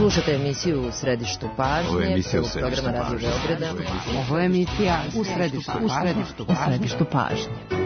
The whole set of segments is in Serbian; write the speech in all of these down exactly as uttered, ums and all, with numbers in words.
Slušate emisiju U središtu pažnje. Ovo je emisija U središtu pažnje. Ovo je emisija U središtu pažnje. U središtu pažnje.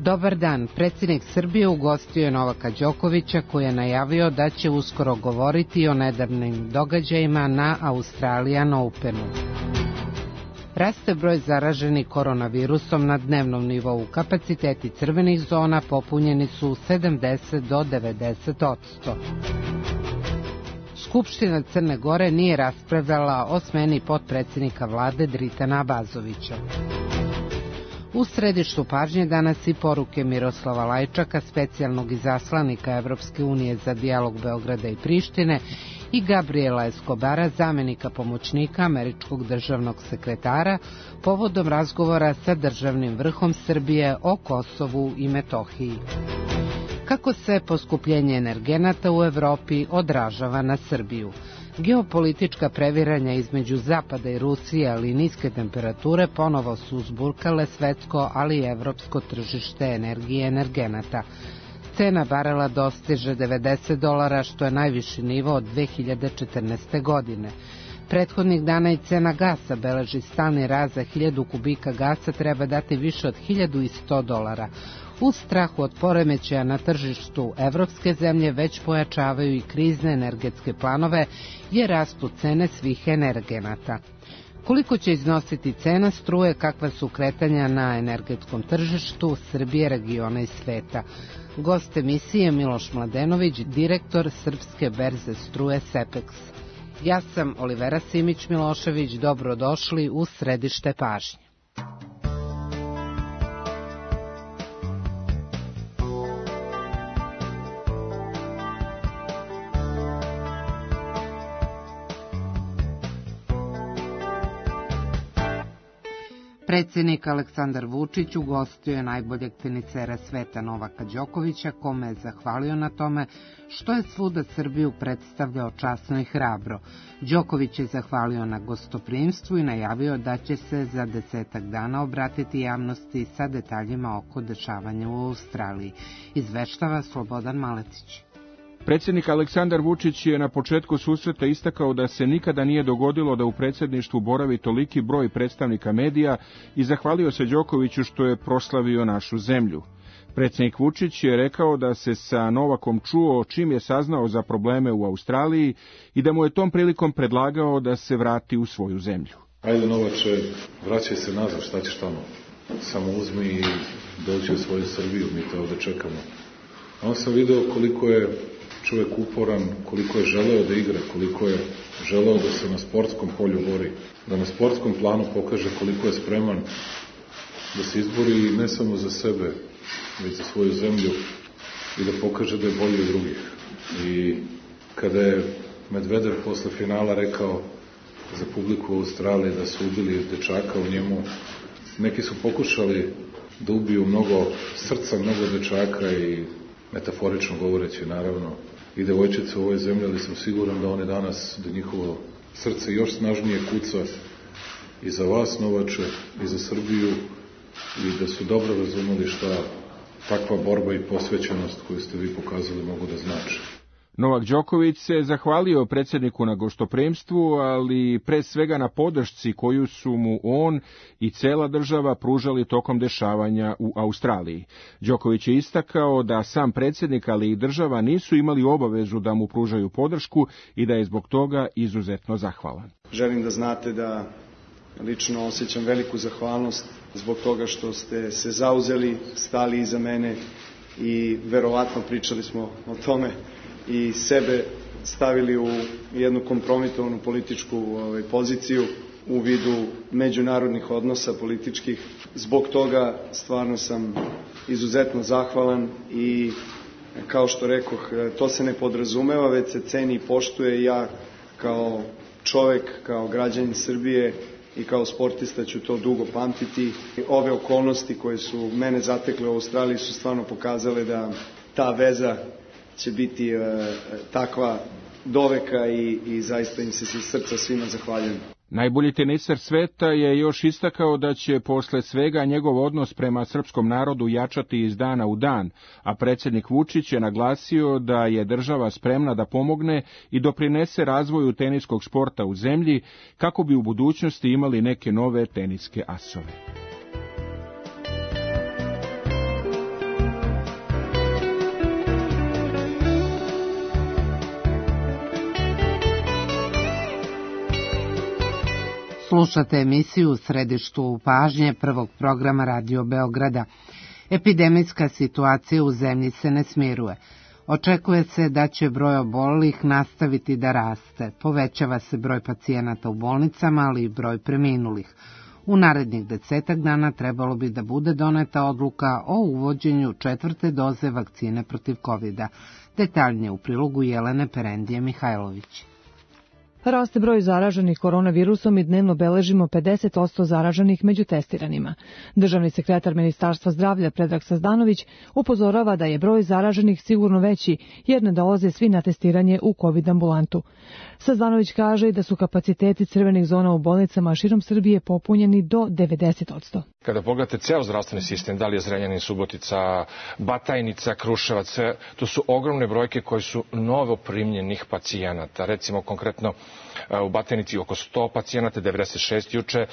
Dobar dan. Predsjednik Srbije ugostio je Novaka Đokovića koji je najavio da će uskoro govoriti o nedavnim događajima na Australian Openu. Raste broj zaraženih koronavirusom na dnevnom nivou. Kapaciteti crvenih zona popunjeni su sedamdeset do devedeset posto. Skupština Crne Gore nije raspravljala o smeni potpredsjednika vlade Dritana Abazovića. U središtu pažnje danas i poruke Miroslava Lajčaka, specijalnog izaslanika Evropske unije za dijalog Beograda i Prištine, i Gabriela Escobara, zamjenika pomoćnika američkog državnog sekretara, povodom razgovora sa državnim vrhom Srbije o Kosovu i Metohiji. Kako se poskupljenje energenata u Evropi odražava na Srbiju? Geopolitička previranja između Zapada i Rusije, ali i niske temperature ponovo su uzburkale svetsko, ali i evropsko tržište energije i energenata. Cena barela dostiže devedeset dolara, što je najviši nivo od dve hiljade četrnaeste. godine. Prethodnih dana i cena gasa beleži stalni rast, za hiljadu kubika gasa treba dati više od hiljadu sto dolara. U strahu od poremećaja na tržištu, evropske zemlje već pojačavaju i krizne energetske planove jer rastu cene svih energenata. Koliko će iznositi cena struje, kakva su kretanja na energetskom tržištu Srbije, regiona i sveta? Gost emisije Miloš Mladenović, direktor Srpske berze struje Sepex. Ja sam Olivera Simić-Milošević, dobrodošli u središte pažnje. Predsjednik Aleksandar Vučić ugostio je najboljeg tenisera sveta Novaka Đokovića, kome je zahvalio na tome što je svuda Srbiju predstavljao časno i hrabro. Đoković je zahvalio na gostoprimstvu i najavio da će se za desetak dana obratiti javnosti sa detaljima oko dešavanja u Australiji. Izveštava Slobodan Maletić. Predsjednik Aleksandar Vučić je na početku susreta istakao da se nikada nije dogodilo da u predsjedništvu boravi toliki broj predstavnika medija i zahvalio se Đokoviću što je proslavio našu zemlju. Predsjednik Vučić je rekao da se sa Novakom čuo čim je saznao za probleme u Australiji i da mu je tom prilikom predlagao da se vrati u svoju zemlju. Ajde Novače, vraćaj se nazad, šta ćeš tamo? Samo uzmi i dođi u svoju Srbiju, mi te ovdje čekamo. A on sam video koliko je čovjek uporan, koliko je želeo da igra, koliko je želeo da se na sportskom polju bori, da na sportskom planu pokaže koliko je spreman da se izbori ne samo za sebe, već za svoju zemlju i da pokaže da je bolji od drugih. I kada je Medvedev posle finala rekao za publiku u Australiji da su ubili dečaka u njemu, neki su pokušali da ubiju mnogo srca, mnogo dečaka i metaforično govoreći naravno i devojčice u ovoj zemlji, ali sam siguran da one danas, da njihovo srce još snažnije kuca i za vas Novače i za Srbiju i da su dobro razumeli šta takva borba i posvećenost koju ste vi pokazali mogu da znači. Novak Đoković se zahvalio predsjedniku na gostoprimstvu, ali pre svega na podršci koju su mu on i cela država pružali tokom dešavanja u Australiji. Đoković je istakao da sam predsjednik, ali i država nisu imali obavezu da mu pružaju podršku i da je zbog toga izuzetno zahvalan. Želim da znate da lično osjećam veliku zahvalnost zbog toga što ste se zauzeli, stali iza mene i verovatno pričali smo o tome i sebe stavili u jednu kompromitovanu političku ovaj, poziciju u vidu međunarodnih odnosa političkih. Zbog toga stvarno sam izuzetno zahvalan i kao što rekoh, to se ne podrazumeva, već se ceni i poštuje. Ja kao čovek, kao građanin Srbije i kao sportista ću to dugo pamtiti. Ove okolnosti koje su mene zatekle u Australiji su stvarno pokazale da ta veza će biti e, takva doveka i, i zaista im se iz srca svima zahvaljujem. Najbolji teniser sveta je još istakao da će posle svega njegov odnos prema srpskom narodu jačati iz dana u dan, a predsjednik Vučić je naglasio da je država spremna da pomogne i doprinese razvoju teniskog sporta u zemlji kako bi u budućnosti imali neke nove teniske asove. Slušate emisiju U središtu pažnje prvog programa Radio Beograda. Epidemijska situacija u zemlji se ne smiruje. Očekuje se da će broj obolelih nastaviti da raste. Povećava se broj pacijenata u bolnicama, ali i broj preminulih. U narednih desetak dana trebalo bi da bude doneta odluka o uvođenju četvrte doze vakcine protiv kovida. Detaljnije u prilogu Jelene Perendije Mihajlović. Raste broj zaraženih koronavirusom i dnevno beležimo pedeset posto zaraženih među testiranima. Državni sekretar Ministarstva zdravlja Predrag Sazdanović upozorava da je broj zaraženih sigurno veći jer ne dolaze svi na testiranje u COVID ambulantu. Sazdanović kaže da su kapaciteti crvenih zona u bolnicama širom Srbije popunjeni do devedeset posto. Kada pogledate ceo zdravstveni sistem, da li je Zrenjanin, Subotica, Batajnica, Kruševac, sve, to su ogromne brojke koji su novo primljenih pacijenata. Recimo konkretno u Batajnici oko sto pacijenata, devedeset šest juče,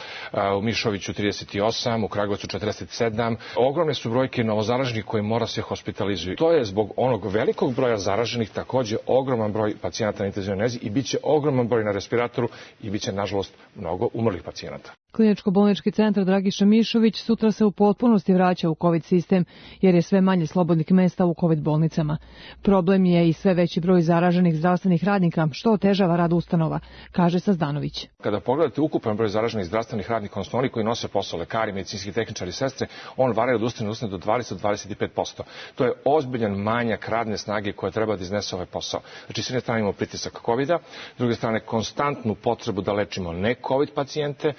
u Mišoviću trideset osam, u Kragujevcu četrdeset sedam. Ogromne su brojke novozaraženih koji mora se hospitalizuju. To je zbog onog velikog broja zaraženih takođe ogroman broj pacijenata na intenzivnoj nezi i bit će ogroman broj na respiratoru i bit će, nažalost, mnogo umrlih pacijenata. Kliničko-bolnički centar Dragiša Mišović sutra se u potpunosti vraća u COVID sistem, jer je sve manje slobodnih mesta u COVID bolnicama. Problem je i sve veći broj zaraženih zdravstvenih radnika, što otežava rad ustanova, kaže Sazdanović. Kada pogledate ukupan broj zaraženih zdravstvenih radnika, odnosno oni koji nose posao, lekari, medicinski tehničari, sestre, on varira od ustanove do ustanove do dvadeset do dvadeset pet posto. To je ozbiljan manjak radne snage koja treba da iznese ovaj posao. Znači, s jedne strane imamo pritisak kovida, s druge strane konstantnu potrebu da lečimo ne COVID pacijente.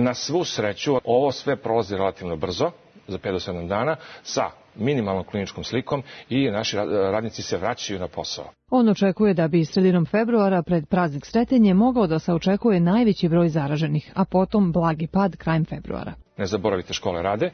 Na svu sreću, ovo sve prolazi relativno brzo, za pet do sedam dana, sa minimalnom kliničkom slikom i naši radnici se vraćaju na posao. On očekuje da bi sredinom februara pred praznik Sretenje mogao da se očekuje najveći broj zaraženih, a potom blagi pad krajem februara. Ne zaboravite, škole rade,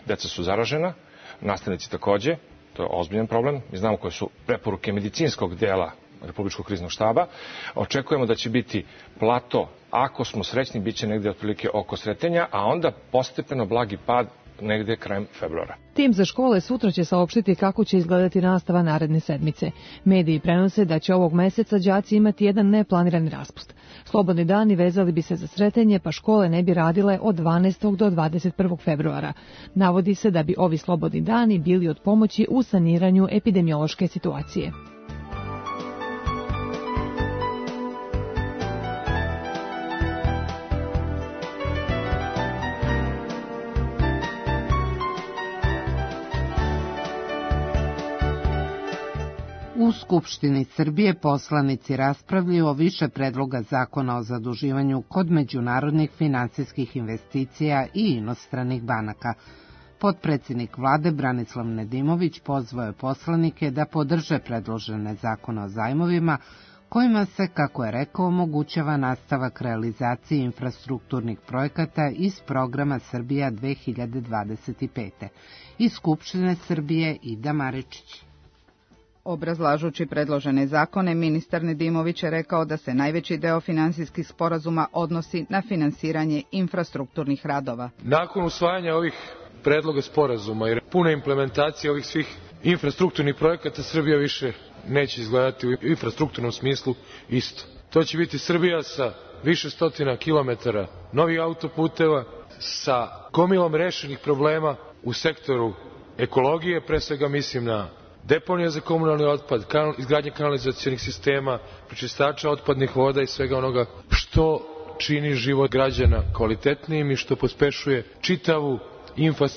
deca su zaražena, nastavnici takođe, to je ozbiljan problem. Mi znamo koje su preporuke medicinskog dela Republičkog kriznog štaba. Očekujemo da će biti plato, ako smo srećni, bit će negde otprilike oko Sretenja, a onda postepeno blagi pad negde krajem februara. Tim za škole sutra će saopštiti kako će izgledati nastava naredne sedmice. Mediji prenose da će ovog meseca đaci imati jedan neplanirani raspust. Slobodni dani vezali bi se za Sretenje, pa škole ne bi radile od dvanaestog do dvadeset prvog februara. Navodi se da bi ovi slobodni dani bili od pomoći u saniranju epidemiološke situacije. U Skupštini Srbije poslanici raspravljaju o više predloga zakona o zaduživanju kod međunarodnih finansijskih investicija i inostranih banaka. Potpredsjednik vlade Branislav Nedimović pozvao je poslanike da podrže predložene zakone o zajmovima, kojima se, kako je rekao, omogućava nastavak realizacije infrastrukturnih projekata iz programa Srbija dve hiljade dvadeset pete. Iz Skupštine Srbije Ida Maričić. Obrazlažući predložene zakone, ministar Nedimović je rekao da se najveći deo finansijskih sporazuma odnosi na finansiranje infrastrukturnih radova. Nakon usvajanja ovih predloga sporazuma i pune implementacije ovih svih infrastrukturnih projekata, Srbija više neće izgledati u infrastrukturnom smislu isto. To će biti Srbija sa više stotina kilometara novih autoputeva, sa gomilom rešenih problema u sektoru ekologije, pre svega mislim na deponija za komunalni otpad, kanal, izgradnje kanalizacionih sistema, prečistača otpadnih voda i svega onoga što čini život građana kvalitetnijim i što pospešuje čitavu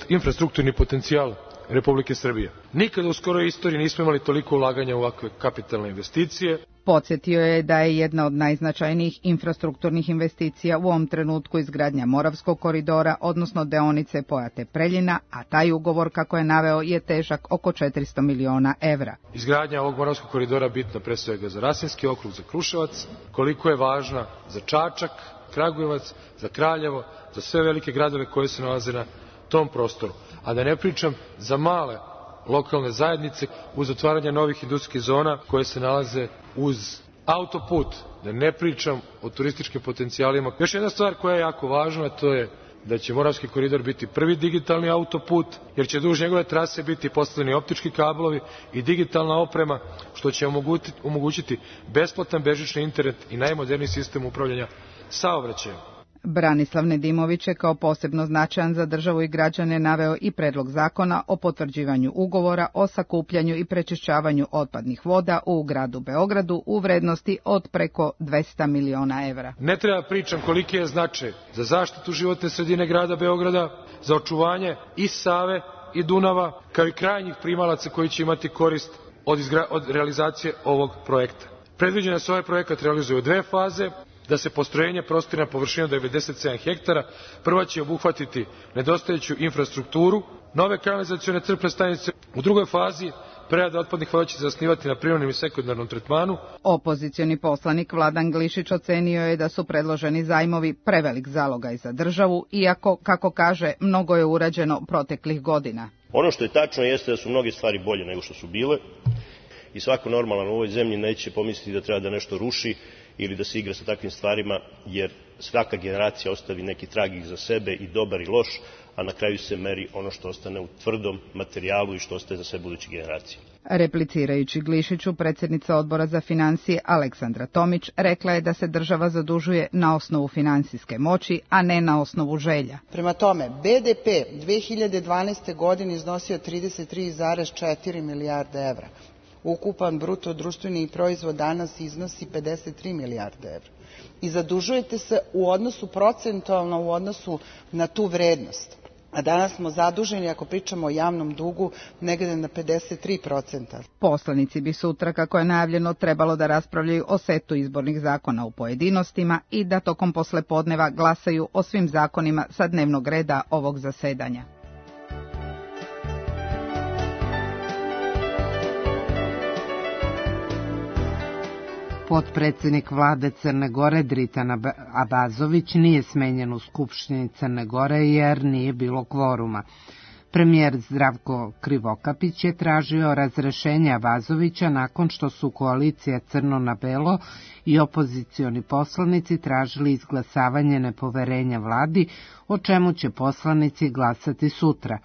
infrastrukturni potencijal Republike Srbije. Nikada u skoroj istoriji nismo imali toliko ulaganja u ovakve kapitalne investicije. Podsjetio je da je jedna od najznačajnijih infrastrukturnih investicija u ovom trenutku izgradnja Moravskog koridora, odnosno deonice Pojate-Preljina, a taj ugovor, kako je naveo, je težak oko četiristo miliona evra. Izgradnja ovog Moravskog koridora bitna pre svega za Rasinski okrug, za Kruševac, koliko je važna za Čačak, Kragujevac, za Kraljevo, za sve velike gradove koje se nalaze na tom prostoru. A da ne pričam za male lokalne zajednice uz otvaranje novih industrijskih zona koje se nalaze uz autoput, da ne pričam o turističkim potencijalima. Još jedna stvar koja je jako važna, to je da će Moravski koridor biti prvi digitalni autoput, jer će duž njegove trase biti postavljeni optički kablovi i digitalna oprema, što će omogućiti besplatan bežični internet i najmoderniji sistem upravljanja saobraćajem. Branislav Nedimović je kao posebno značajan za državu i građane naveo i predlog zakona o potvrđivanju ugovora o sakupljanju i prečišćavanju otpadnih voda u gradu Beogradu u vrednosti od preko dvesta miliona evra. Ne treba pričam koliki je značaj za zaštitu životne sredine grada Beograda, za očuvanje i Save i Dunava, kao i krajnjih primalaca koji će imati korist od, izgra... od realizacije ovog projekta. Predviđeno da se ovaj projekat realizuje u dve faze, da se postrojenje prostire na površinu devedeset sedam hektara. Prva će obuhvatiti nedostajuću infrastrukturu, nove kanalizacione crpne stanice. U drugoj fazi prerada otpadnih voda će se zasnivati na primarnom i sekundarnom tretmanu. Opozicioni poslanik Vladan Glišić ocenio je da su predloženi zajmovi prevelik zalogaj za državu, iako, kako kaže, mnogo je urađeno proteklih godina. Ono što je tačno jeste da su mnoge stvari bolje nego što su bile i svako normalan u ovoj zemlji neće pomisliti da treba da nešto ruši ili da se igra sa takvim stvarima, jer svaka generacija ostavi neki trag iza sebe, i dobar i loš, a na kraju se meri ono što ostane u tvrdom materijalu i što ostaje za sve buduće generacije. Replicirajući Glišiću, predsjednica Odbora za financije Aleksandra Tomić rekla je da se država zadužuje na osnovu finansijske moći, a ne na osnovu želja. Prema tome, be de pe dve hiljade dvanaeste. godine iznosio trideset tri zarez četiri milijarde evra. Ukupan bruto društveni proizvod danas iznosi pedeset tri milijarde evra. I zadužujete se u odnosu procentualno u odnosu na tu vrednost. A danas smo zaduženi, ako pričamo o javnom dugu, negde na pedeset tri procenta. Poslanici bi sutra, kako je najavljeno, trebalo da raspravljaju o setu izbornih zakona u pojedinostima i da tokom poslepodneva glasaju o svim zakonima sa dnevnog reda ovog zasedanja. Potpredsjednik vlade Crne Gore Dritan Abazović nije smenjen u Skupštini Crne Gore jer nije bilo kvoruma. Premijer Zdravko Krivokapić je tražio razrešenje Abazovića nakon što su koalicija Crno na belo i opozicioni poslanici tražili izglasavanje nepoverenja vladi, o čemu će poslanici glasati sutra.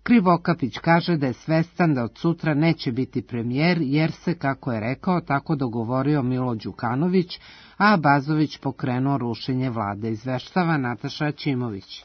Krivokapić kaže da je svestan da od sutra neće biti premijer jer se, kako je rekao, tako dogovorio Milo Đukanović, a Abazović pokrenuo rušenje vlade, izveštava Nataša Ćimović.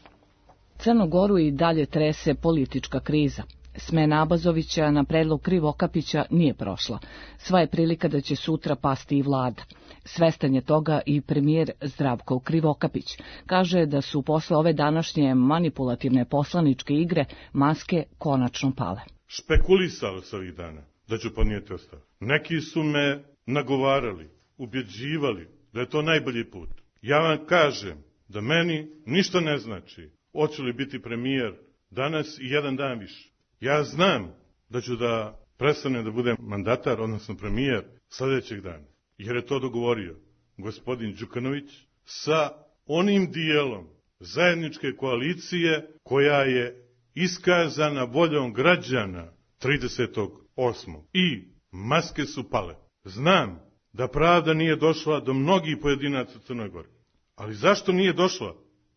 Crnu Goru i dalje trese politička kriza. Smena Abazovića na predlog Krivokapića nije prošla. Sva je prilika da će sutra pasti i vlada. Svestan je toga i premijer Zdravko Krivokapić. Kaže da su posle ove današnje manipulativne poslaničke igre maske konačno pale. Špekulisao sam ovih dana da ću podnijeti ostavku. Neki su me nagovarali, ubjeđivali da je to najbolji put. Ja vam kažem da meni ništa ne znači hoću li biti premijer danas i jedan dan više. Ja znam da ću da prestanem da budem mandatar, odnosno premijer, sljedećeg dana. Jer je to dogovorio gospodin Đukanović sa onim dijelom zajedničke koalicije koja je iskazana voljom građana tridesetog osmog I maske su pale. Znam da pravda nije došla do mnogih pojedinaca u Crnoj Gori. Ali zašto nije došla?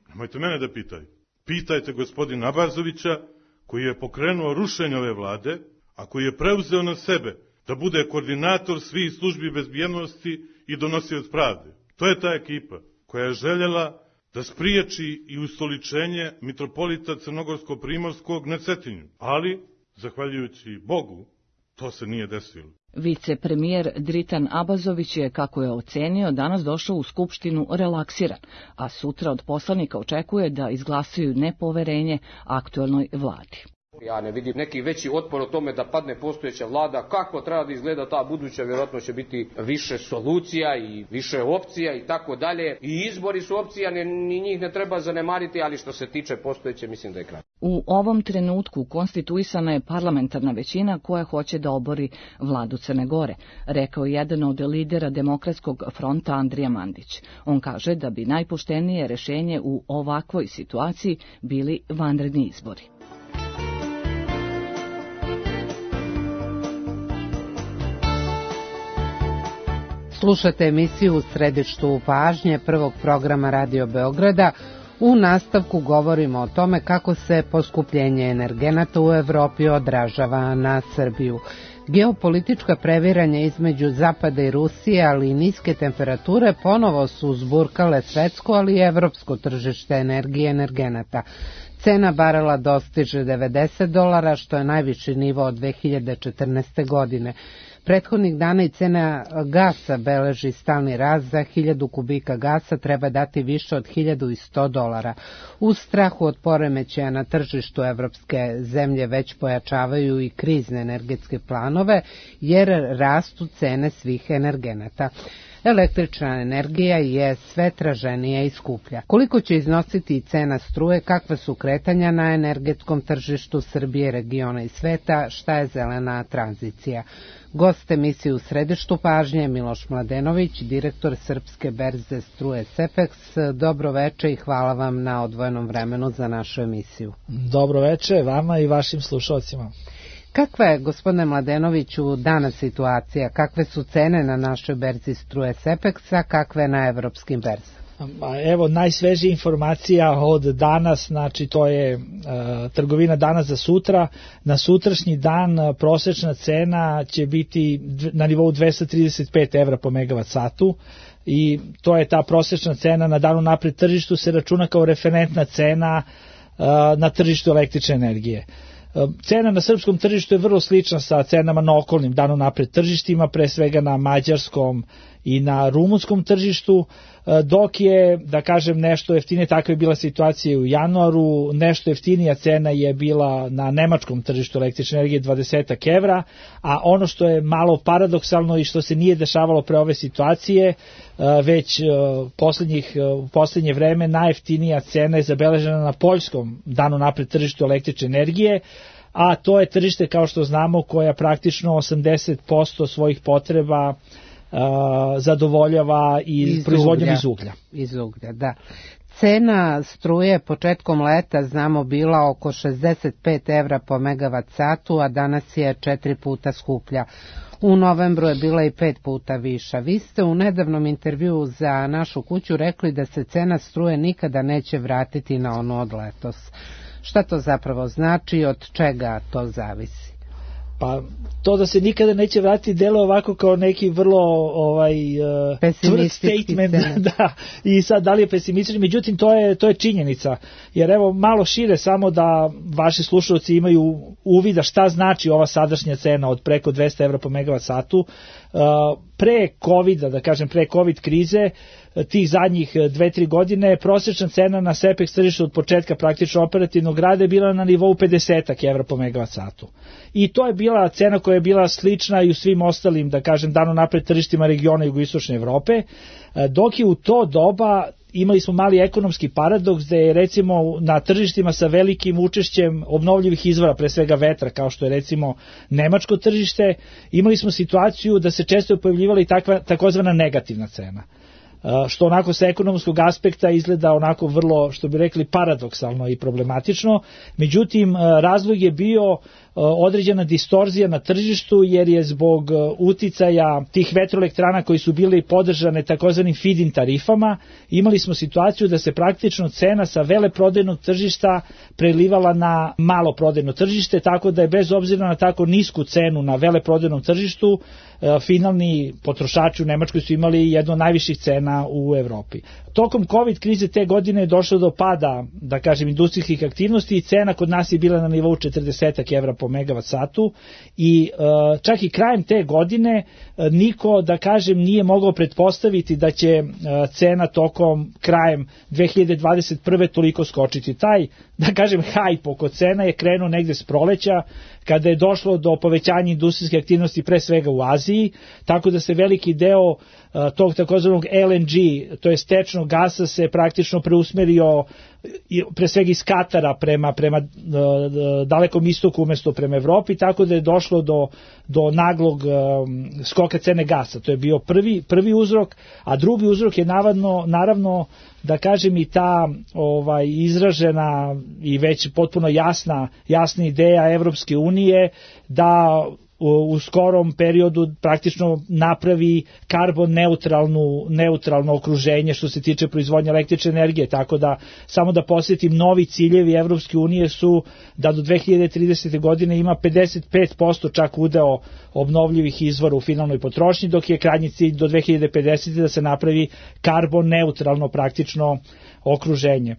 Nemojte mene da pitajte. Pitajte gospodina Abazovića, koji je pokrenuo rušenje ove vlade, a koji je preuzeo na sebe da bude koordinator svih službi bezbjednosti i donosioc pravde. To je ta ekipa koja je željela da spriječi i ustoličenje mitropolita Crnogorsko-Primorskog na Cetinju. Ali, zahvaljujući Bogu, to se nije desilo. Vicepremijer Dritan Abazović je, kako je ocenio, danas došao u Skupštinu relaksiran, a sutra od poslanika očekuje da izglasaju nepoverenje aktuelnoj vladi. Ja ne vidim neki veći otpor o tome da padne postojeća vlada, kako treba da izgleda ta buduća, vjerojatno će biti više solucija i više opcija i tako dalje. I izbori su opcija, ni njih ne treba zanemariti, ali što se tiče postojeće, mislim da je kraj. U ovom trenutku konstituisana je parlamentarna većina koja hoće da obori vladu Crne Gore, rekao je jedan od lidera Demokratskog fronta Andrija Mandić. On kaže da bi najpoštenije rešenje u ovakvoj situaciji bili vanredni izbori. Slušate emisiju U središtu pažnje prvog programa Radio Beograda. U nastavku govorimo o tome kako se poskupljenje energenata u Evropi odražava na Srbiju. Geopolitička previranja između Zapada i Rusije, ali i niske temperature ponovo su uzburkale svetsko, ali i evropsko tržište energije i energenata. Cena barela dostiže devedeset dolara, što je najviši nivo od dve hiljade četrnaeste. godine. Prethodnih dana i cena gasa beleži stalni rast, za hiljadu kubika gasa treba dati više od hiljadu sto dolara. U strahu od poremećaja na tržištu evropske zemlje već pojačavaju i krizne energetske planove, jer rastu cene svih energenata. Električna energija je sve traženija i skuplja. Koliko će iznositi cena struje, kakve su kretanja na energetskom tržištu Srbije, regiona i sveta, šta je zelena tranzicija? Gost emisije U središtu pažnje Miloš Mladenović, direktor Srpske berze struje Sepeks. Dobro veče i hvala vam na odvojenom vremenu za našu emisiju. Dobro veče vama i vašim slušalcima. Kakva je, gospodine Mladenoviću, danas situacija? Kakve su cene na našoj berzi struje Sepeksa, kakve na evropskim berzama? Evo, najsvežija informacija od danas, znači to je uh, trgovina danas za sutra. Na sutrašnji dan uh, prosečna cena će biti na nivou dvesta trideset pet evra po megavat satu i to je ta prosečna cena na danu napred tržištu, se računa kao referentna cena uh, na tržištu električne energije. Cena na srpskom tržištu je vrlo slična sa cenama na okolnim danu napred tržištima, pre svega na mađarskom i na rumunskom tržištu, dok je, da kažem, nešto jeftinije, takva je bila situacija u januaru, nešto jeftinija cena je bila na nemačkom tržištu električne energije dvadeset evra, a ono što je malo paradoksalno i što se nije dešavalo pre ove situacije, već poslednjih, u poslednje vreme najjeftinija cena je zabeležena na poljskom danu napred tržištu električne energije, a to je tržište, kao što znamo, koja praktično osamdeset posto svojih potreba Uh, zadovoljava i iz proizvodnjom uglja. iz uglja. Iz uglja, da. Cena struje početkom leta, znamo, bila oko šezdeset pet evra po megavat satu, a danas je četiri puta skuplja. U novembru je bila i pet puta viša. Vi ste u nedavnom intervjuu za Našu kuću rekli da se cena struje nikada neće vratiti na ono od letos. Šta to zapravo znači i od čega to zavisi? Pa to da se nikada neće vratiti delo ovako kao neki vrlo ovaj tvrd statement, da, i sad da li je pesimistični, međutim to je to je činjenica, jer evo malo šire samo da vaši slušalci imaju uvida šta znači ova sadašnja cena od preko dvesta evra po megavat satu. Pre covida, da kažem pre covid krize, tih zadnjih dve tri godine, prosječna cena na Sepeks tržištu od početka praktično operativnog rada je bila na nivou pedeset evra po megavat satu. I to je bila cena koja je bila slična i u svim ostalim, da kažem, dano napred tržištima regiona jugoistočne Evrope, dok je u to doba imali smo mali ekonomski paradoks da je recimo na tržištima sa velikim učešćem obnovljivih izvora, pre svega vetra, kao što je recimo nemačko tržište, imali smo situaciju da se često pojavljivala i takva takozvana negativna cena, što onako sa ekonomskog aspekta izgleda onako vrlo, što bi rekli, paradoksalno i problematično. Međutim, razlog je bio određena distorzija na tržištu, jer je zbog uticaja tih vetroelektrana koji su bili podržane takozvanim feed-in tarifama, imali smo situaciju da se praktično cena sa veleprodajnog tržišta prelivala na maloprodajno tržište, tako da je bez obzira na tako nisku cenu na veleprodajnom tržištu, finalni potrošači u Nemačkoj su imali jednu od najviših cena u Evropi. Tokom COVID krize te godine je došlo do pada, da kažem, industrijskih aktivnosti i cena kod nas je bila na nivou četrdeset evra po megavat satu i čak i krajem te godine niko, da kažem, nije mogao pretpostaviti da će cena tokom krajem dve hiljade dvadeset prve toliko skočiti. Taj, da kažem, hajp oko cena je krenuo negde s proleća, kada je došlo do povećanja industrijske aktivnosti pre svega u Aziji, tako da se veliki deo tog takozvanog L N G, to je tečnog gasa, se praktično preusmerio pre svega iz Katara prema, prema dalekom istoku umesto prema Evropi, tako da je došlo do, do naglog skoka cene gasa. To je bio prvi, prvi uzrok, a drugi uzrok je naravno, naravno da kažem i ta ovaj, izražena i već potpuno jasna, jasna ideja Evropske unije da u skorom periodu praktično napravi karbon neutralnu, neutralno okruženje što se tiče proizvodnje električne energije, tako da samo da posjetim, novi ciljevi Evropske unije su da do dve hiljade tridesete. godine ima pedeset pet posto čak udeo obnovljivih izvora u finalnoj potrošnji, dok je krajnji cilj do dve hiljade pedesete. da se napravi karbon neutralno praktično okruženje.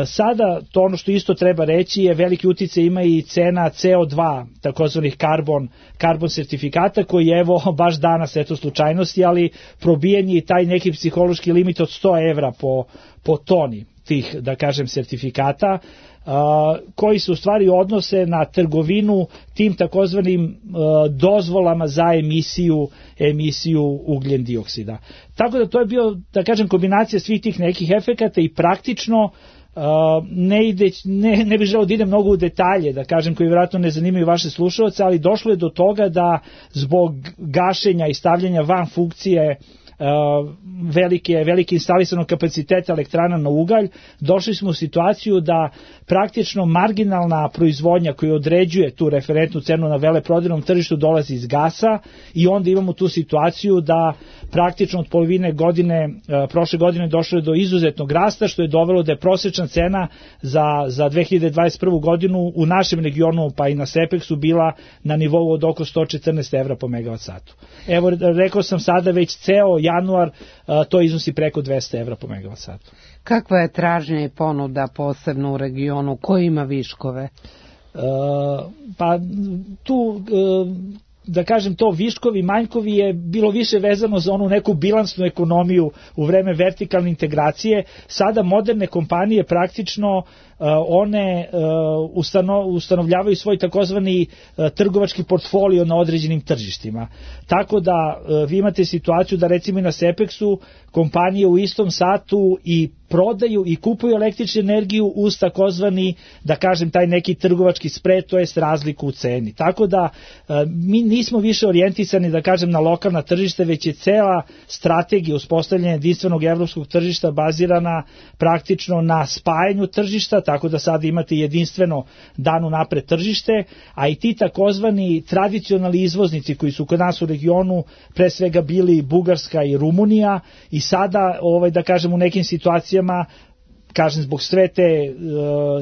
Sada to ono što isto treba reći je veliki uticaj ima i cena C O dva, takozvanih karbon, karbon sertifikata, koji je evo baš danas, eto slučajnosti, ali probijen je taj neki psihološki limit od sto evra po, po toni tih, da kažem, sertifikata, a, koji se u stvari odnose na trgovinu tim takozvanim a, dozvolama za emisiju emisiju ugljen dioksida. Tako da to je bio, da kažem, kombinacija svih tih nekih efekata i praktično Uh, ne, ide, ne, ne bih želeo da idem mnogo u detalje, da kažem, koji vjerojatno ne zanimaju vaše slušalce, ali došlo je do toga da zbog gašenja i stavljanja van funkcije Uh, velike, velike instalisanog kapaciteta elektrana na ugalj, došli smo u situaciju da praktično marginalna proizvodnja koja određuje tu referentnu cenu na veleprodajnom tržištu dolazi iz gasa i onda imamo tu situaciju da praktično od polovine godine, uh, prošle godine došlo je do izuzetnog rasta, što je dovelo da je prosječna cena za, za dve hiljade dvadeset prvu. godinu u našem regionu pa i na Sepeksu bila na nivou od oko sto četrnaest evra po megavat satu. Evo, rekao sam sada već ceo januar, to iznosi preko dvesta evra po megavat satu. Kakva je tražnja i ponuda posebno u regionu? Ko ima viškove? Uh, pa tu... Uh, da kažem to viškovi, manjkovi je bilo više vezano za onu neku bilansnu ekonomiju u vreme vertikalne integracije. Sada moderne kompanije praktično uh, one uh, ustano, ustanovljavaju svoj takozvani uh, trgovački portfolio na određenim tržištima. Tako da uh, vi imate situaciju da recimo i na Sepeksu kompanije u istom satu i prodaju i kupuju električnu energiju uz takozvani, da kažem, taj neki trgovački spred, to jest razliku u ceni. Tako da uh, mi nismo više orijentisani, da kažem, na lokalna tržišta, već je cela strategija uspostavljanja jedinstvenog evropskog tržišta bazirana praktično na spajanju tržišta, tako da sad imate jedinstveno danu napred tržište, a i ti takozvani tradicionalni izvoznici koji su kod nas u regionu pre svega bili Bugarska i Rumunija i sada, ovaj, da kažem, u nekim situacijama, kažem, zbog sve te,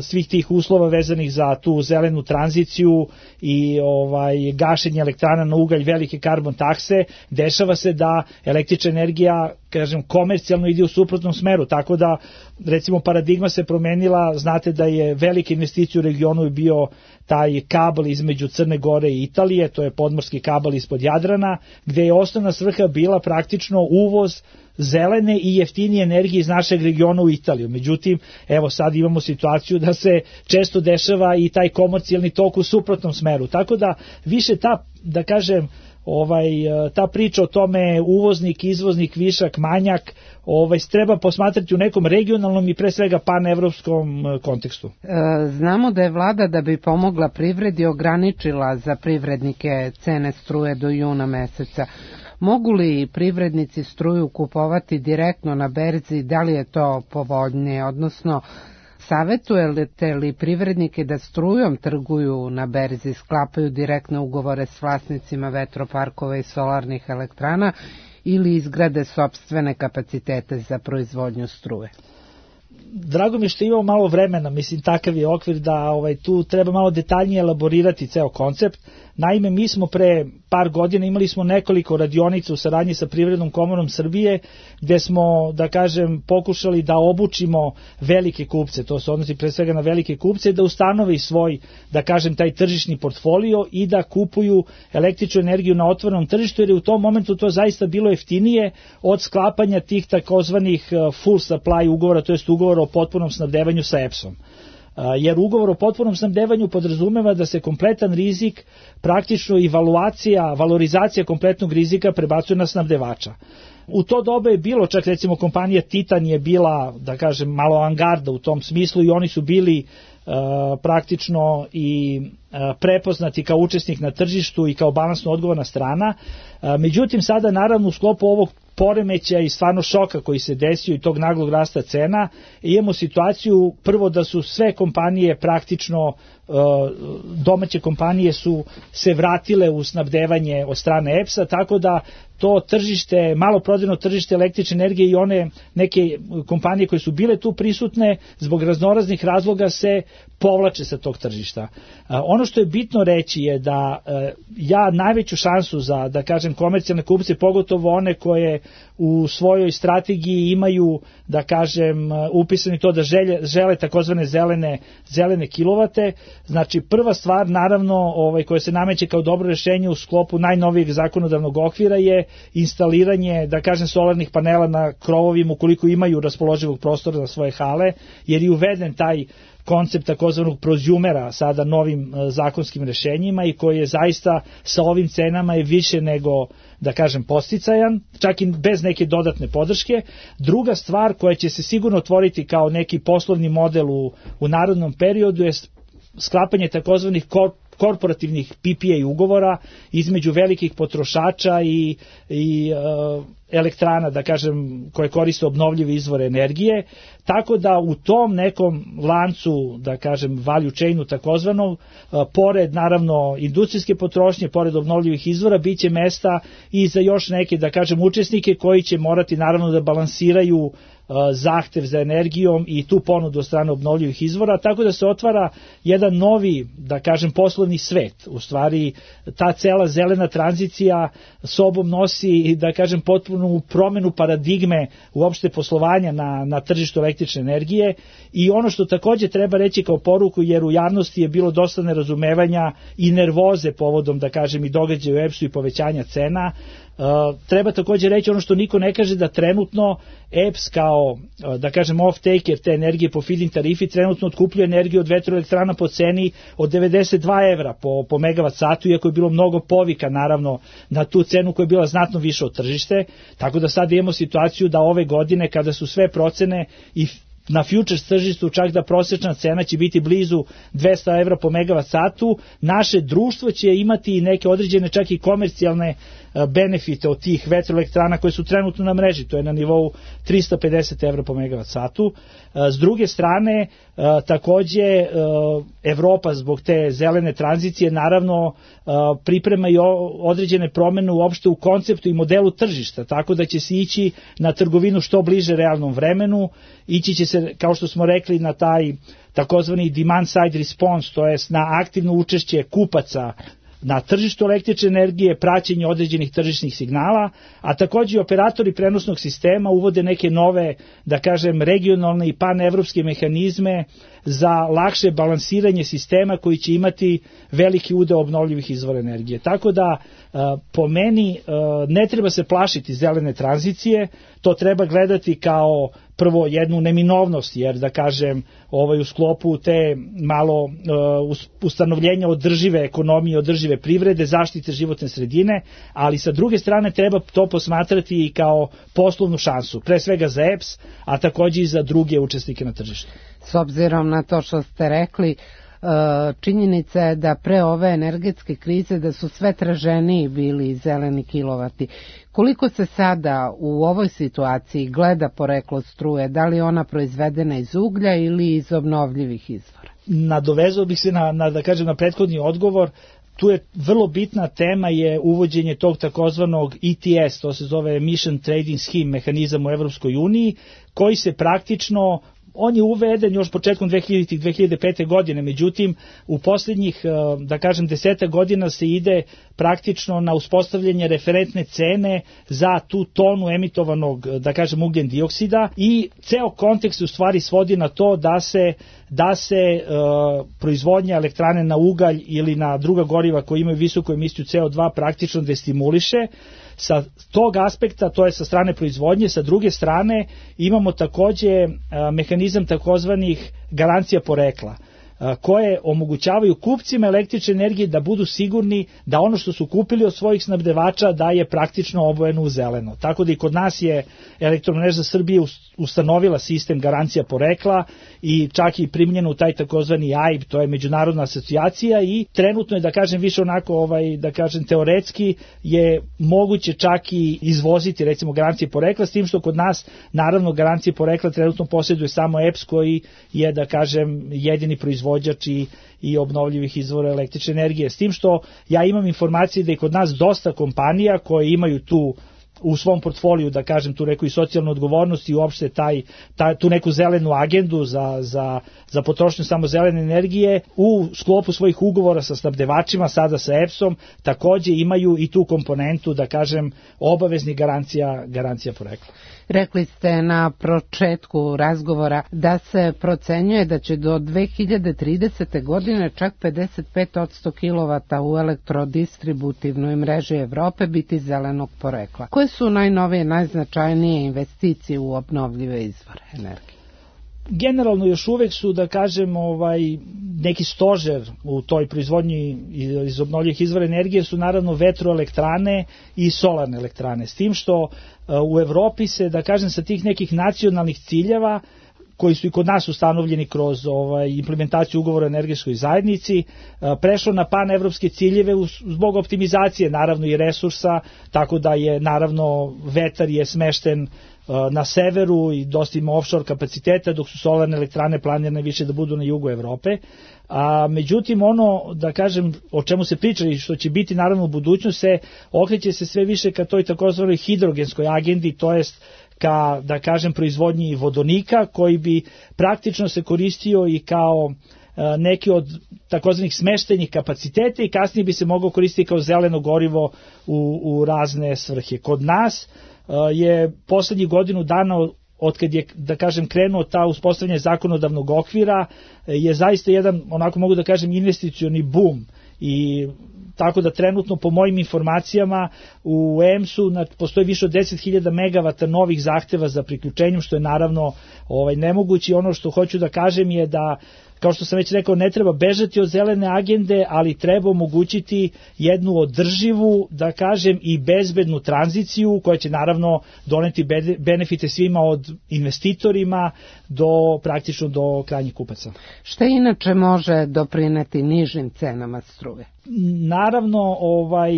svih tih uslova vezanih za tu zelenu tranziciju i ovaj gašenje elektrana na ugalj, velike karbon takse, dešava se da električna energija, kažem, komercijalno ide u suprotnom smeru, tako da recimo paradigma se promenila. Znate da je velika investicija u regionu je bio taj kabel između Crne Gore i Italije, to je podmorski kabel ispod Jadrana, gde je osnovna svrha bila praktično uvoz zelene i jeftinije energije iz našeg regiona u Italiju. Međutim, evo sad imamo situaciju da se često dešava i taj komercijalni tok u suprotnom smeru. Tako da više ta, da kažem, ovaj, ta priča o tome uvoznik, izvoznik, višak, manjak, ovaj, treba posmatrati u nekom regionalnom i pre svega panevropskom kontekstu. Znamo da je vlada, da bi pomogla privredi, ograničila za privrednike cene struje do juna meseca. Mogu li privrednici struju kupovati direktno na berzi, da li je to povoljnije, odnosno savjetujete li privrednike da strujom trguju na berzi, sklapaju direktne ugovore s vlasnicima vetroparkova i solarnih elektrana ili izgrade sopstvene kapacitete za proizvodnju struje? drago mi je što imamo malo vremena, mislim takav je okvir da ovaj, tu treba malo detaljnije elaborirati ceo koncept. Naime, mi smo pre par godina imali smo nekoliko radionica u saradnji sa Privrednom komorom Srbije, gde smo, da kažem, pokušali da obučimo velike kupce, to se odnosi pre svega na velike kupce, da ustanove svoj, da kažem, taj tržišni portfolio i da kupuju električnu energiju na otvorenom tržištu, jer je u tom momentu to zaista bilo jeftinije od sklapanja tih takozvanih full supply ugovora, to jest ugovora o potpunom snabdevanju sa E P S-om. Jer ugovor o potpunom snabdevanju podrazumeva da se kompletan rizik, praktično i valuacija, valorizacija kompletnog rizika prebacuje na snabdevača. U to doba je bilo, čak recimo kompanija Titan je bila, da kažem, malo avangarda u tom smislu i oni su bili uh, praktično i uh, prepoznati kao učesnik na tržištu i kao balansno odgovorna strana. Uh, međutim, sada naravno u sklopu ovog poremeća i stvarno šoka koji se desio i tog naglog rasta cena, imamo situaciju prvo da su sve kompanije praktično, domaće kompanije su se vratile u snabdevanje od strane E P S-a, tako da to tržište, maloprodajno tržište električne energije i one neke kompanije koje su bile tu prisutne zbog raznoraznih razloga se povlače sa tog tržišta. Ono što je bitno reći je da ja najveću šansu za, da kažem, komercijalne kupce, pogotovo one koje u svojoj strategiji imaju, da kažem, upisani to da žele, žele takozvane zelene, zelene kilovate. Znači, prva stvar, naravno, ovaj, koja se nameće kao dobro rešenje u sklopu najnovijeg zakonodavnog okvira je instaliranje, da kažem, solarnih panela na krovovima ukoliko imaju raspoloživog prostora za svoje hale, jer je uveden taj koncept takozvanog prozjumera sada novim zakonskim rešenjima i koji je zaista sa ovim cenama je više nego, da kažem, posticajan, čak i bez neke dodatne podrške. Druga stvar koja će se sigurno otvoriti kao neki poslovni model u, u narodnom periodu je sklapanje takozvanih korporativnih P P A ugovora između velikih potrošača i, i uh, elektrana, da kažem, koje koriste obnovljive izvore energije, tako da u tom nekom lancu, da kažem, value chainu takozvanom, uh, pored naravno industrijske potrošnje, pored obnovljivih izvora, bit će mesta i za još neke, da kažem, učesnike koji će morati naravno da balansiraju zahtev za energijom i tu ponudu od strane obnovljivih izvora, tako da se otvara jedan novi, da kažem, poslovni svet. U stvari, ta cela zelena tranzicija sobom nosi, da kažem, potpunu promenu paradigme uopšte poslovanja na, na tržištu električne energije i ono što takođe treba reći kao poruku, jer u javnosti je bilo dosta nerazumevanja i nervoze povodom, da kažem, i događaja u E P S-u i povećanja cena. Uh, treba takođe reći ono što niko ne kaže, da trenutno E P S kao, uh, da kažem, off-taker te energije po feed-in tarifi trenutno otkupljuje energiju od vetroelektrana po ceni od devedeset dva evra po, po megavat satu, iako je bilo mnogo povika naravno na tu cenu koja je bila znatno više od tržište, tako da sad imamo situaciju da ove godine kada su sve procene i na futures tržištu čak da prosječna cena će biti blizu dvesta evra po megavat satu, naše društvo će imati i neke određene čak i komercijalne benefite od tih vetroelektrana koje su trenutno na mreži, to je na nivou trista pedeset evra po megavat satu. S druge strane, takođe Evropa zbog te zelene tranzicije naravno priprema i određene promene uopšte u konceptu i modelu tržišta, tako da će se ići na trgovinu što bliže realnom vremenu, ići će se, kao što smo rekli, na taj takozvani demand side response, to jest na aktivno učešće kupaca na tržištu električne energije, praćenje određenih tržišnih signala, a takođe operatori prenosnog sistema uvode neke nove, da kažem, regionalne i panevropske mehanizme za lakše balansiranje sistema koji će imati veliki udeo obnovljivih izvora energije. Tako da, po meni, ne treba se plašiti zelene tranzicije, to treba gledati kao prvo jednu neminovnost, jer da kažem ovaj, u sklopu te malo uh, ustanovljenja održive ekonomije, održive privrede, zaštite životne sredine, ali sa druge strane treba to posmatrati i kao poslovnu šansu, pre svega za E P S, a takođe i za druge učesnike na tržištu. S obzirom na to što ste rekli, činjenica je da pre ove energetske krize da su sve traženiji bili zeleni kilovati. Koliko se sada u ovoj situaciji gleda poreklo struje, da li je ona proizvedena iz uglja ili iz obnovljivih izvora? Nadovezao bih se na, na, da kažem, na prethodni odgovor. Tu je vrlo bitna tema je uvođenje tog takozvanog E T S, to se zove Emission Trading Scheme, mehanizam u Evropskoj uniji, koji se praktično On je uveden još početkom dve hiljadite. dve hiljade pete. godine, međutim u posljednjih, da kažem, desetak godina se ide praktično na uspostavljanje referentne cene za tu tonu emitovanog, da kažem, ugljen dioksida i ceo kontekst u stvari svodi na to da se da se e, proizvodnja elektrane na ugalj ili na druga goriva koji imaju visoku emisiju C O dva praktično destimuliše. Sa tog aspekta, to je sa strane proizvodnje, sa druge strane imamo takođe e, mehanizam takozvanih garancija porekla, koje omogućavaju kupcima električne energije da budu sigurni da ono što su kupili od svojih snabdevača da je praktično obojeno u zeleno. Tako da i kod nas je Elektromreža Srbije ustanovila sistem garancija porekla i čak i primljeno u taj takozvani A I B, to je međunarodna asocijacija, i trenutno je, da kažem, više onako, ovaj, da kažem, teoretski je moguće čak i izvoziti recimo garancije porekla, s tim što kod nas naravno garancije porekla trenutno posjeduje samo E P S koji je, da kažem, jedini proizvođač i, i obnovljivih izvora električne energije. S tim što ja imam informacije da je kod nas dosta kompanija koje imaju tu u svom portfoliju, da kažem, tu neku i socijalnu odgovornost i uopšte taj, taj, tu neku zelenu agendu za, za, za potrošnju samo zelene energije, u sklopu svojih ugovora sa snabdevačima, sada sa E P S-om, takođe imaju i tu komponentu, da kažem, obaveznih garancija, garancija porekla. Rekli ste na početku razgovora da se procenjuje da će do dve hiljade tridesete. godine čak pedeset pet posto kilovata u elektrodistributivnoj mreži Evrope biti zelenog porekla. Koje su najnovije, najznačajnije investicije u obnovljive izvore energije? Generalno još uvek su, da kažem, ovaj, neki stožer u toj proizvodnji iz obnovljivih izvora energije su naravno vetroelektrane i solarne elektrane. S tim što u Evropi se, da kažem, sa tih nekih nacionalnih ciljeva koji su i kod nas ustanovljeni kroz ovaj, implementaciju ugovora o energetskoj zajednici, prešlo na panevropske ciljeve zbog optimizacije naravno i resursa, tako da je naravno vetar je smešten na severu i dosta ima offshore kapaciteta, dok su solarne elektrane planirane više da budu na jugu Evrope. A međutim ono, da kažem, o čemu se priča i što će biti naravno u budućnosti, se okreće se sve više ka toj takozvanoj hidrogenskoj agendi, to jest ka, da kažem, proizvodnji vodonika koji bi praktično se koristio i kao neki od takozvanih smeštenih kapaciteta i kasnije bi se mogao koristiti kao zeleno gorivo u, u razne svrhe. Kod nas je poslednjih godinu dana od kad je, da kažem, krenuo ta uspostavljanje zakonodavnog okvira, je zaista jedan, onako mogu da kažem, investicioni boom, i tako da trenutno po mojim informacijama u E M S-u postoji više od deset hiljada megavata novih zahteva za priključenjem, što je naravno ovaj, nemoguće. Ono što hoću da kažem je da, kao što sam već rekao, ne treba bežati od zelene agende, ali treba omogućiti jednu održivu, da kažem, i bezbednu tranziciju koja će naravno doneti benefite svima, od investitorima do praktično do krajnjih kupaca. Šta inače može doprineti nižim cenama struje? Naravno, ovaj,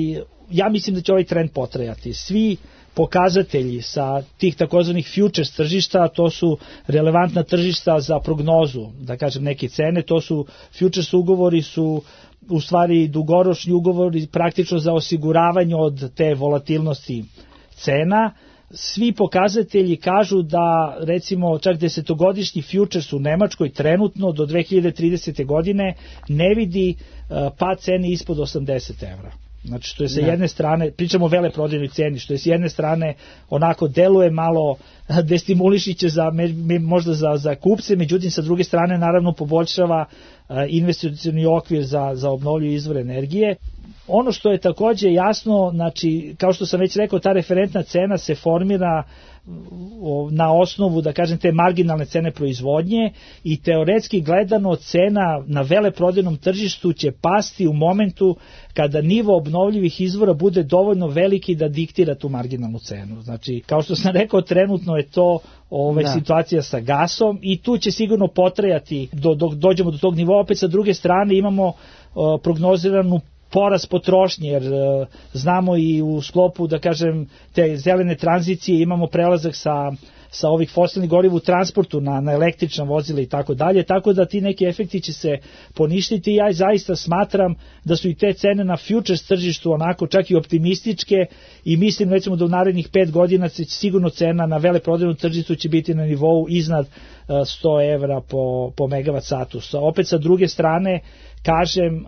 ja mislim da će ovaj trend potrajati. Svi pokazatelji sa tih takozvanih futures tržišta, to su relevantna tržišta za prognozu, da kažem, neke cene, to su futures ugovori, su u stvari dugoročni ugovori praktično za osiguravanje od te volatilnosti cena. Svi pokazatelji kažu da, recimo, čak desetogodišnji futures u Nemačkoj trenutno do dve hiljade tridesete. godine ne vidi pad cene ispod osamdeset evra. Znači, što je sa jedne strane, pričamo o veleprodajnoj ceni, što je s jedne strane onako deluje malo destimulišiće za, možda za, za kupce, međutim sa druge strane naravno poboljšava investicioni okvir za, za obnovljive izvore energije. Ono što je takođe jasno, znači, kao što sam već rekao, ta referentna cena se formira na osnovu, da kažem, te marginalne cene proizvodnje, i teoretski gledano cena na veleprodajnom tržištu će pasti u momentu kada nivo obnovljivih izvora bude dovoljno veliki da diktira tu marginalnu cenu. Znači, kao što sam rekao, trenutno je to ovaj, situacija sa gasom i tu će sigurno potrajati dok do, dođemo do tog nivoa. Opet sa druge strane imamo uh, prognoziranu porast potrošnje, jer uh, znamo i u sklopu, da kažem, te zelene tranzicije imamo prelazak sa, sa ovih fosilnih goriva u transportu na, na električna vozila i tako dalje, tako da ti neki efekti će se poništiti. Ja zaista smatram da su i te cene na futures tržištu onako čak i optimističke, i mislim, recimo, da u narednih pet godina će sigurno cena na veleprodajnom tržištu će biti na nivou iznad sto evra po, po megavat satu. Opet sa druge strane, kažem,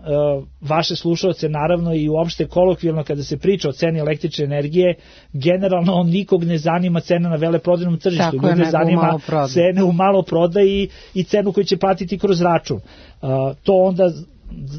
vaše slušalce naravno i uopšte kolokvijalno kada se priča o ceni električne energije, generalno nikog ne zanima cena na veleprodajnom tržištu, ljude ne zanima cene u maloprodaji i cenu koju će platiti kroz račun. To onda,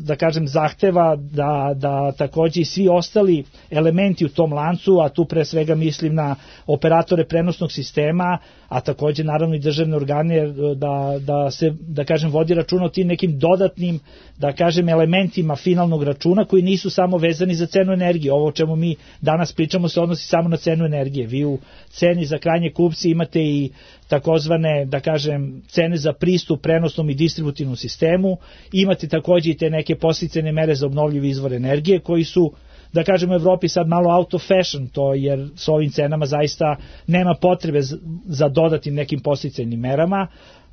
da kažem, zahteva da, da takođe i svi ostali elementi u tom lancu, a tu pre svega mislim na operatore prenosnog sistema, a takođe naravno i državne organe, da, da se, da kažem, vodi računa o tim nekim dodatnim, da kažem, elementima finalnog računa koji nisu samo vezani za cenu energije. Ovo o čemu mi danas pričamo se odnosi samo na cenu energije. Vi u ceni za krajnje kupci imate i takozvane, da kažem, cene za pristup prenosnom i distributivnom sistemu, imate takođe i te neke podsticajne mere za obnovljive izvore energije koji su, da kažem, u Evropi sad malo out of fashion to, jer s ovim cenama zaista nema potrebe za dodatim nekim podsticajnim merama.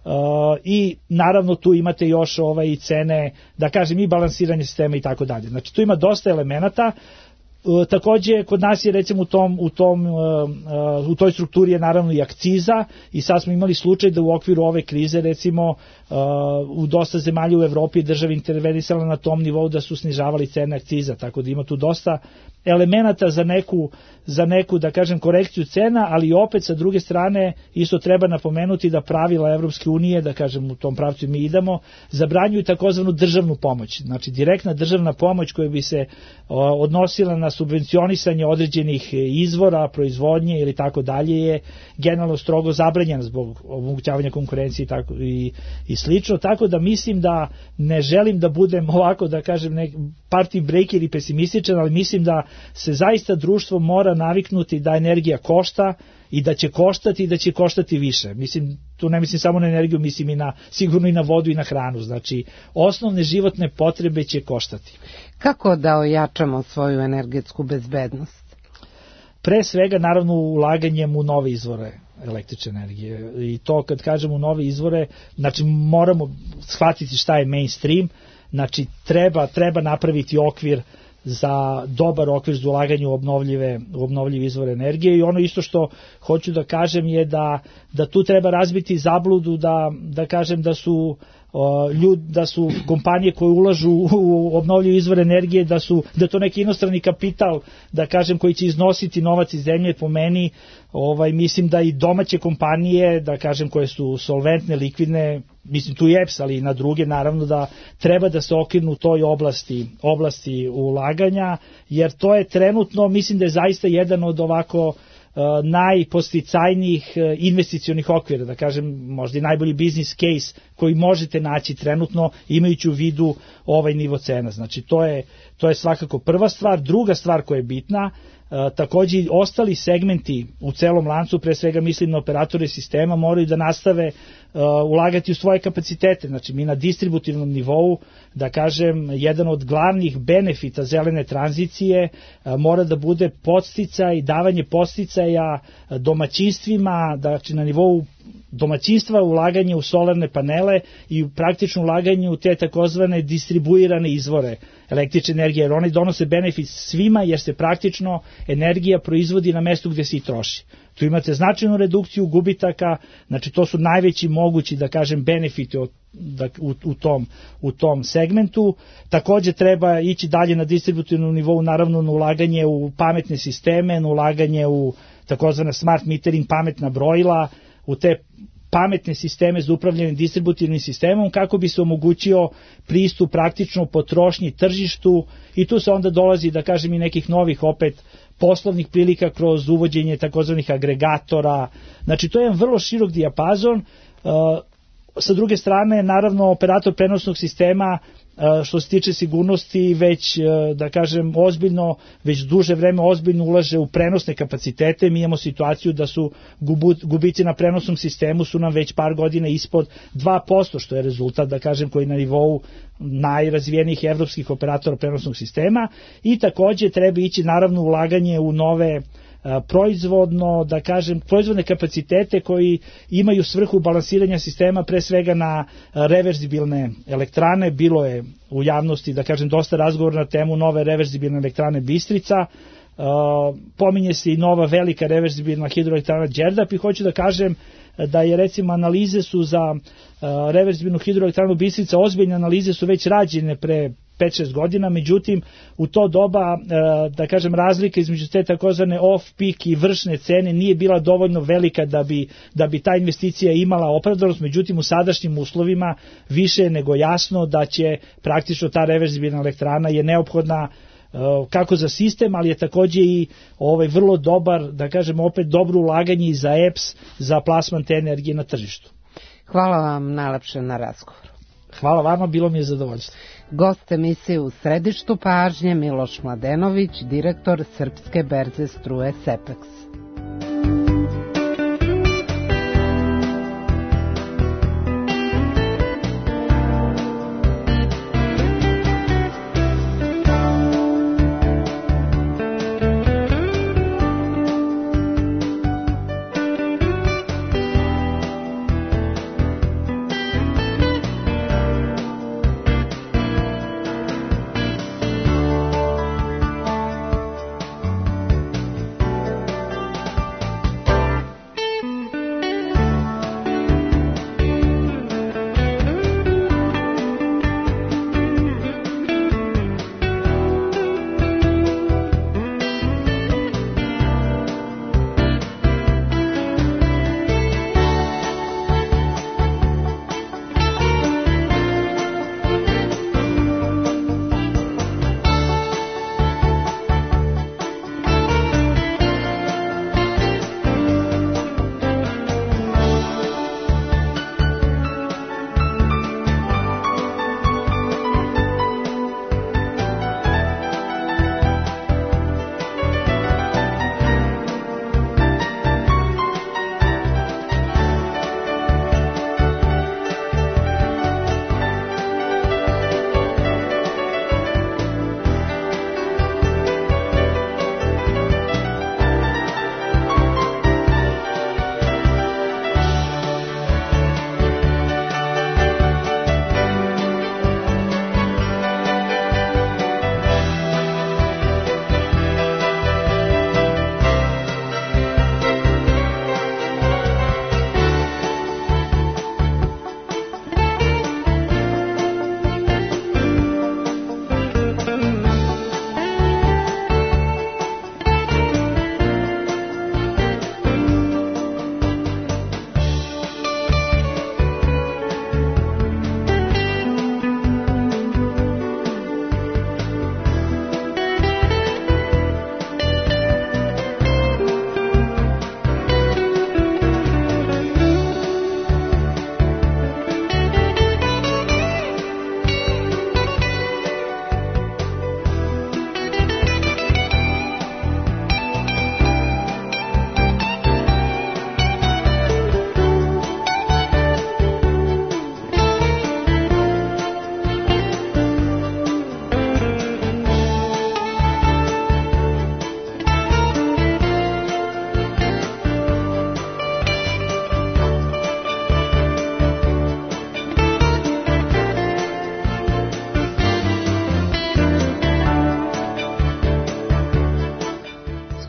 Uh, i naravno tu imate još ovaj cene, da kažem, i balansiranje sistema i tako dalje. Znači tu ima dosta elemenata. Uh, takođe kod nas je recimo u tom u tom uh, uh, u toj strukturi je naravno i akciza i sad smo imali slučaj da u okviru ove krize recimo uh, u dosta zemalja u Evropi država intervenisala na tom nivou da su snižavali cene akciza, tako da ima tu dosta elemenata za neku, za neku, da kažem, korekciju cena, ali opet sa druge strane isto treba napomenuti da pravila Evropske unije, da kažem, u tom pravcu mi idemo, zabranjuju takozvanu državnu pomoć. Znači direktna državna pomoć koja bi se o, odnosila na subvencionisanje određenih izvora, proizvodnje ili tako dalje je generalno strogo zabranjena zbog omogućavanja konkurencije i, tako, i, i slično, tako da mislim da ne želim da budem ovako, da kažem, nek, party breaker i pesimističan, ali mislim da se zaista društvo mora naviknuti da energija košta i da će koštati i da će koštati više. Mislim, tu ne mislim samo na energiju, mislim i na, sigurno i na vodu i na hranu. Znači, osnovne životne potrebe će koštati. Kako da ojačamo svoju energetsku bezbednost? Pre svega, naravno, ulaganjem u nove izvore električne energije. I to kad kažemo nove izvore, znači moramo shvatiti šta je mainstream, znači treba, treba napraviti okvir za dobar okvir za ulaganje u obnovljive, u obnovljive izvore energije i ono isto što hoću da kažem je da, da tu treba razbiti zabludu da, da kažem da su ljud, da su kompanije koje ulažu u obnovljive izvore energije, da su da to neki inostrani kapital, da kažem, koji će iznositi novac iz zemlje. Po meni, ovaj mislim da i domaće kompanije, da kažem, koje su solventne, likvidne, mislim tu i E P S, ali i na druge, naravno da treba da se okirnu u toj oblasti, oblasti ulaganja, jer to je trenutno, mislim da je zaista jedan od ovako najposticajnijih investicionih okvira, da kažem, možda i najbolji business case koji možete naći trenutno imajući u vidu ovaj nivo cena. Znači to je, to je svakako prva stvar. Druga stvar koja je bitna, takođe i ostali segmenti u celom lancu, pre svega mislim na operatore sistema, moraju da nastave uh, ulagati u svoje kapacitete. Znači mi na distributivnom nivou, da kažem, jedan od glavnih benefita zelene tranzicije uh, mora da bude podsticaj, davanje podsticaja domaćinstvima, znači na nivou domaćinstva, ulaganje u solarne panele i praktično ulaganje u te takozvane distribuirane izvore električne energije, jer one donose benefit svima, jer se praktično energija proizvodi na mestu gde se i troši. Tu imate značajnu redukciju gubitaka, znači to su najveći mogući, da kažem, benefiti od, da, u, u, tom, u tom segmentu. Takođe treba ići dalje na distributivnom nivou, naravno na ulaganje u pametne sisteme, na ulaganje u takozvane smart metering, pametna brojila, u te pametne sisteme za upravljanje distributivnim sistemom kako bi se omogućio pristup praktično potrošnji tržištu i tu se onda dolazi, da kažem, i nekih novih opet poslovnih prilika kroz uvođenje takozvanih agregatora. Znači to je jedan vrlo širok dijapazon. Sa druge strane, naravno, operator prenosnog sistema što se tiče sigurnosti već, da kažem, ozbiljno, već duže vreme ozbiljno ulaže u prenosne kapacitete. Mi imamo situaciju da su gubici na prenosnom sistemu su nam već par godina ispod dva posto, što je rezultat, da kažem, koji na nivou najrazvijenijih evropskih operatora prenosnog sistema i takođe treba ići naravno ulaganje u nove proizvodno, da kažem, proizvodne kapacitete koji imaju svrhu balansiranja sistema pre svega na reverzibilne elektrane. Bilo je u javnosti, da kažem, dosta razgovora na temu nove reverzibilne elektrane Bistrica. pominje se i nova velika reverzibilna hidroelektrana Đerdap i hoću da kažem da je recimo analize su za reverzibilnu hidroelektranu Bistrica, ozbiljne analize su već rađene pre pet šest godina, međutim u to doba, da kažem, razlika između te takozvane off-peak i vršne cene nije bila dovoljno velika da bi, da bi ta investicija imala opravdanost, međutim u sadašnjim uslovima više je nego jasno da će praktično ta reverzibilna elektrana je neophodna kako za sistem, ali je takođe i ovaj vrlo dobar, da kažemo opet dobro ulaganje i za E P S, za plasman te energije na tržištu. Hvala vam najlepše na razgovoru. Hvala vama, bilo mi je zadovoljstvo. Gost emisije u središtu pažnje Miloš Mladenović, direktor Srpske berze struje Sepeks.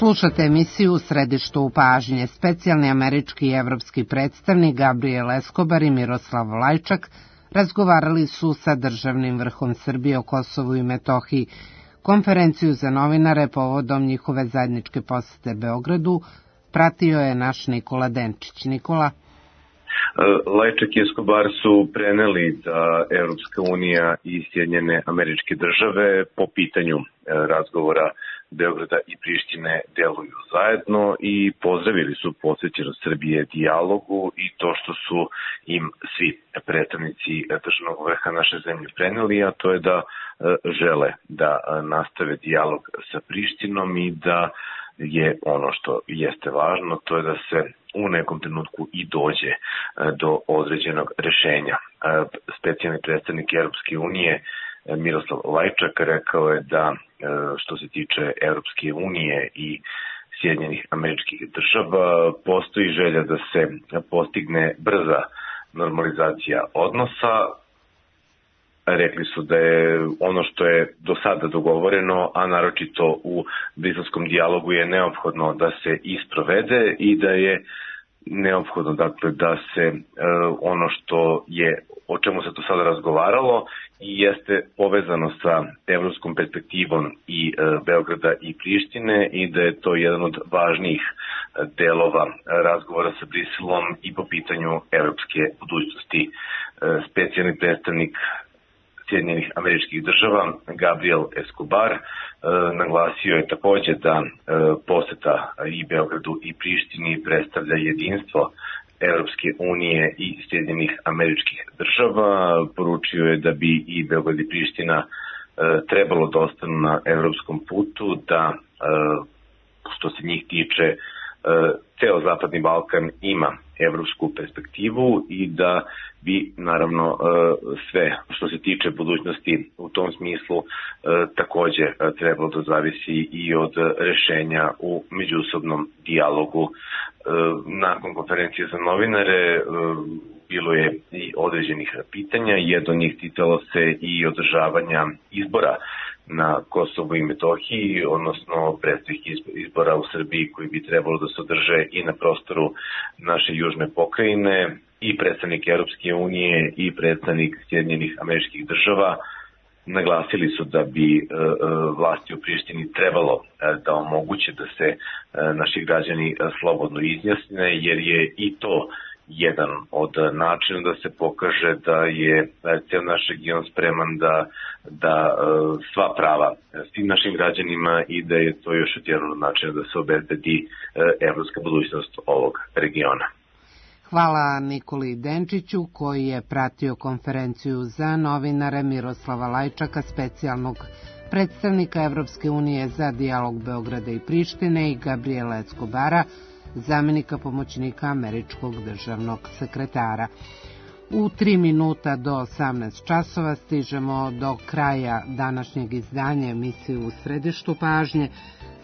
Slušate emisiju u središtu u pažnje. Specijalni američki i evropski predstavnik Gabriel Escobar i Miroslav Lajčak razgovarali su sa državnim vrhom Srbije o Kosovu i Metohiji. Konferenciju za novinare povodom njihove zajedničke posete Beogradu pratio je naš Nikola Denčić. Nikola? Lajčak i Escobar su preneli da Evropska unija i Sjedinjene Američke Države po pitanju razgovora Beograda i Prištine deluju zajedno i pozdravili su posvećenost Srbije dijalogu i to što su im svi predstavnici državnog vrha naše zemlje preneli, a to je da žele da nastave dijalog sa Prištinom i da je ono što jeste važno, to je da se u nekom trenutku i dođe do određenog rešenja. Specijalni predstavnik Evropske unije Miroslav Lajčak rekao je da što se tiče Evropske unije i Sjedinjenih Američkih Država postoji želja da se postigne brza normalizacija odnosa rekli su da je ono što je do sada dogovoreno, a naročito u briselskom dijalogu, je neophodno da se isprovede i da je neophodno dakle da se e, ono što je, o čemu se do sada razgovaralo i jeste povezano sa evropskom perspektivom i e, Beograda i Prištine i da je to jedan od važnijih delova razgovora sa Briselom i po pitanju evropske budućnosti. E, specijalni predstavnik Sjedinjenih Američkih Država Gabriel Escobar e, naglasio je takođe da e, poseta i Beogradu i Prištini predstavlja jedinstvo Evropske unije i Sjedinjenih Američkih Država. Poručio je da bi i Beograd i Priština e, trebalo da ostanu na evropskom putu, da e, što se njih tiče e, ceo Zapadni Balkan ima evropsku perspektivu i da bi naravno sve što se tiče budućnosti u tom smislu takođe trebalo da zavisi i od rešenja u međusobnom dijalogu. Nakon konferencije za novinare bilo je i određenih pitanja, jedno od njih ticalo se i održavanja izbora na Kosovu i Metohiji, odnosno predstavih izbora u Srbiji koji bi trebalo da se održe i na prostoru naše južne pokrajine. I predstavnik Europske unije i predstavnik Sjedinjenih Američkih Država naglasili su da bi e, vlasti u Prištini trebalo e, da omoguće da se e, naši građani slobodno izjasne, jer je i to jedan od načina da se pokaže da je ceo naš region spreman da, da sva prava svim našim građanima i da je to još jedan od načina da se obezbedi evropska budućnost ovog regiona. Hvala Nikoli Denčiću koji je pratio konferenciju za novinare Miroslava Lajčaka, specijalnog predstavnika Evropske unije za dijalog Beograda i Prištine, i Gabriela Escobara, zamenika pomoćnika američkog državnog sekretara. U tri minuta do osamnaest časova stižemo do kraja današnjeg izdanja emisije U središtu pažnje.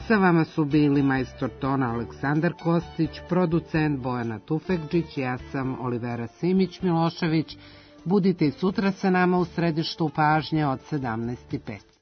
Sa vama su bili majstor tona Aleksandar Kostić, producent Bojana Tufekđić, ja sam Olivera Simić Milošević. Budite i sutra sa nama u središtu pažnje od sedamnaest i pet.